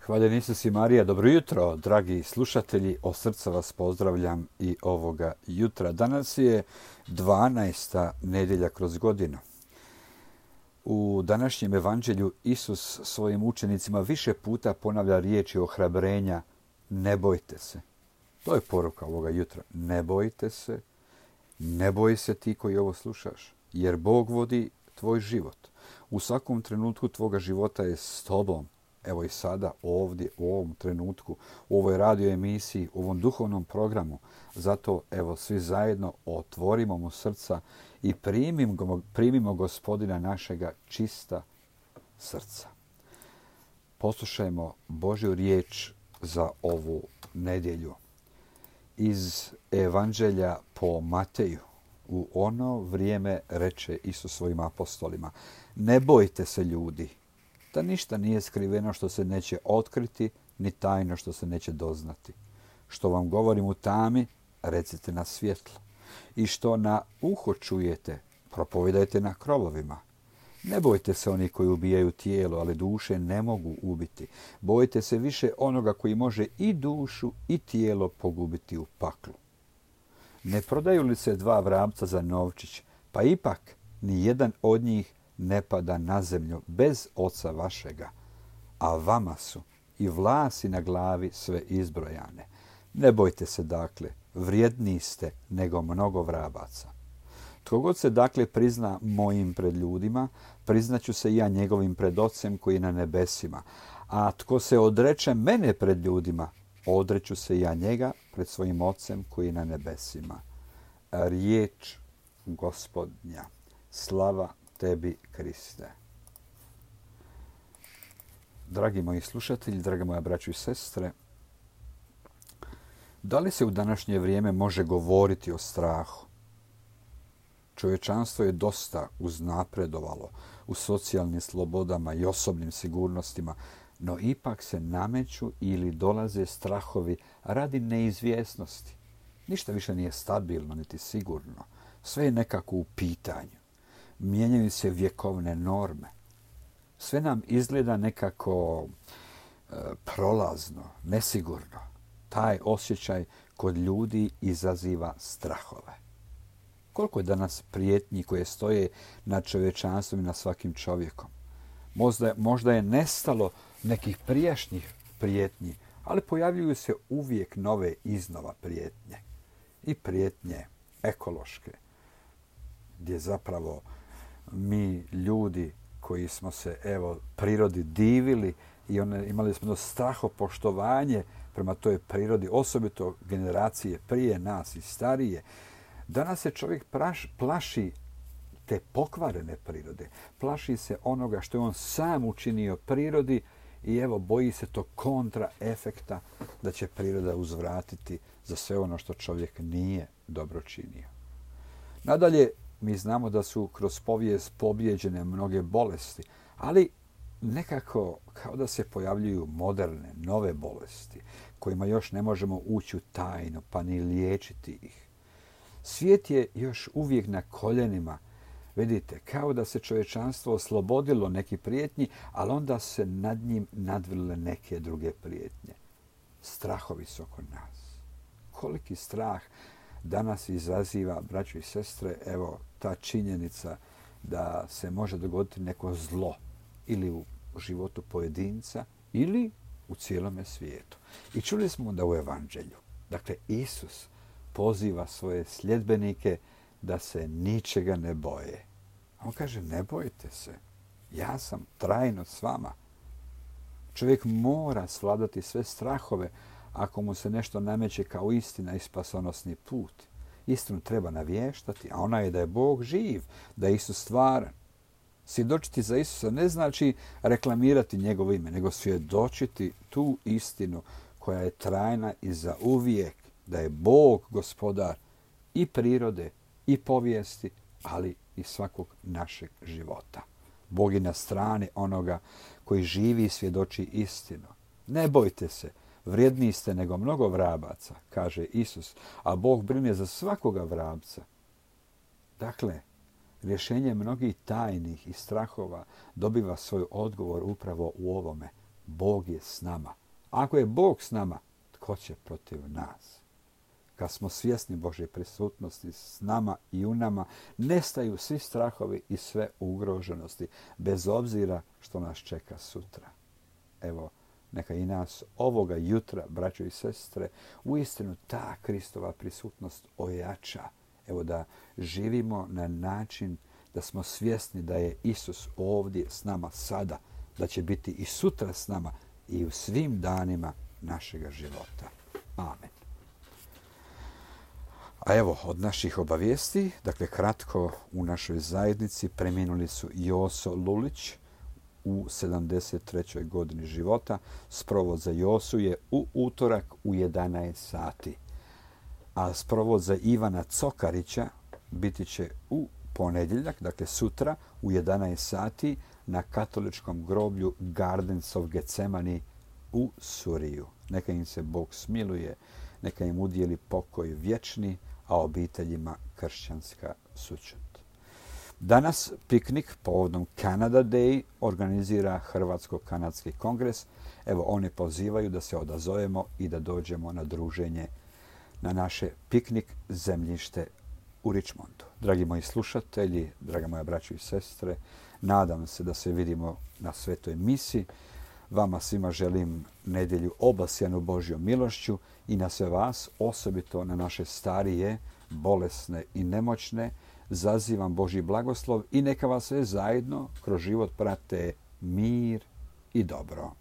Hvaljen Isus i Marija, dobro jutro, dragi slušatelji, od srca vas pozdravljam i ovoga jutra. Danas je 12. nedjelja kroz godinu. U današnjem evanđelju Isus svojim učenicima više puta ponavlja riječi ohrabrenja, ne bojte se. To je poruka ovoga jutra. Ne bojte se, ne boj se ti koji ovo slušaš, jer Bog vodi tvoj život. U svakom trenutku tvoga života je s tobom. Evo i sada, ovdje, u ovom trenutku, u ovoj radio emisiji, u ovom duhovnom programu. Zato, evo, svi zajedno otvorimo mu srca i primimo Gospodina našega čista srca. Poslušajmo Božju riječ za ovu nedjelju. Iz Evanđelja po Mateju. U ono vrijeme reče Isus svojim apostolima: ne bojte se ljudi, da ništa nije skriveno što se neće otkriti, ni tajno što se neće doznati. Što vam govorim u tami, recite na svjetlo. I što na uho čujete, propovedajte na krovovima. Ne bojte se oni koji ubijaju tijelo, ali duše ne mogu ubiti. Bojte se više onoga koji može i dušu i tijelo pogubiti u paklu. Ne prodaju li se dva vrapca za novčić, pa ipak ni jedan od njih ne pada na zemlju bez oca vašega, a vama su i vlasi na glavi sve izbrojane. Ne bojte se dakle, vrijedniji ste nego mnogo vrabaca. Tko god se dakle prizna mojim pred ljudima, priznaću se i ja njegovim pred Ocem koji je na nebesima. A tko se odreče mene pred ljudima, odreću se i ja njega pred svojim Ocem koji je na nebesima. Riječ Gospodnja. Slava tebi, Kriste. Dragi moji slušatelji, drage moja braćo i sestre, da li se u današnje vrijeme može govoriti o strahu? Čovječanstvo je dosta uznapredovalo u socijalnim slobodama i osobnim sigurnostima, no ipak se nameću ili dolaze strahovi radi neizvjesnosti. Ništa više nije stabilno niti sigurno. Sve je nekako u pitanju. Mijenjaju se vjekovne norme. Sve nam izgleda nekako prolazno, nesigurno. Taj osjećaj kod ljudi izaziva strahove. Koliko je danas prijetnji koje stoje nad čovječanstvom i nad svakim čovjekom? Možda je nestalo nekih prijašnjih prijetnji, ali pojavljuju se uvijek nove iznova prijetnje. I prijetnje ekološke, gdje zapravo mi ljudi koji smo se prirodi divili i imali smo strahopoštovanje prema toj prirodi, osobito generacije prije nas i starije. Danas se čovjek plaši te pokvarene prirode. Plaši se onoga što je on sam učinio prirodi i boji se tog kontraefekta da će priroda uzvratiti za sve ono što čovjek nije dobro činio. Nadalje, mi znamo da su kroz povijest pobijeđene mnoge bolesti, ali nekako kao da se pojavljuju moderne, nove bolesti, kojima još ne možemo ući u tajnu, pa ni liječiti ih. Svijet je još uvijek na koljenima. Vidite, kao da se čovječanstvo oslobodilo nekih prijetnji, ali onda se nad njim nadvile neke druge prijetnje. Strahovi su oko nas. Koliki strah danas izaziva, braćo i sestre, ta činjenica da se može dogoditi neko zlo ili u životu pojedinca ili u cijelome svijetu. I čuli smo da u Evanđelju, dakle, Isus poziva svoje sljedbenike da se ničega ne boje. On kaže, ne bojte se, ja sam trajno s vama. Čovjek mora svladati sve strahove ako mu se nešto nameće kao istina i spasonosni put. Istinu treba navještati, a ona je da je Bog živ, da je Isus stvaran. Svjedočiti za Isusa ne znači reklamirati njegovo ime, nego svjedočiti tu istinu koja je trajna i za uvijek, da je Bog gospodar i prirode i povijesti, ali i svakog našeg života. Bog je na strani onoga koji živi i svjedoči istinu. Ne bojte se, vrijedniji ste nego mnogo vrabaca, kaže Isus, a Bog brine za svakoga vrabca. Dakle, rješenje mnogih tajnih i strahova dobiva svoj odgovor upravo u ovome. Bog je s nama. Ako je Bog s nama, tko će protiv nas? Kad smo svjesni Božje prisutnosti s nama i u nama, nestaju svi strahovi i sve ugroženosti, bez obzira što nas čeka sutra. Evo, neka i nas ovoga jutra, braćo i sestre, uistinu ta Kristova prisutnost ojača. Evo, da živimo na način da smo svjesni da je Isus ovdje s nama sada, da će biti i sutra s nama i u svim danima našega života. Amen. A evo, od naših obavijesti, dakle kratko, u našoj zajednici preminuli su Joso Lulić u 73. godini života. Sprovod za Josu je u utorak u 11 sati. A sprovod za Ivana Cokarića biti će u ponedjeljak, dakle sutra u 11 sati na katoličkom groblju Gardens of Gethsemane u Suriju. Neka im se Bog smiluje, neka im udijeli pokoj vječni, a obiteljima kršćanska sućut. Danas piknik povodom Canada Day organizira Hrvatsko-kanadski kongres. Evo, oni pozivaju da se odazovemo i da dođemo na druženje na naše piknik zemljište u Richmondu. Dragi moji slušatelji, draga moja braćo i sestre, nadam se da se vidimo na svetoj misi. Vama svima želim nedjelju obasjanu Božjom milošću i na sve vas, osobito na naše starije, bolesne i nemoćne, zazivam Božji blagoslov i neka vas sve zajedno kroz život prate mir i dobro.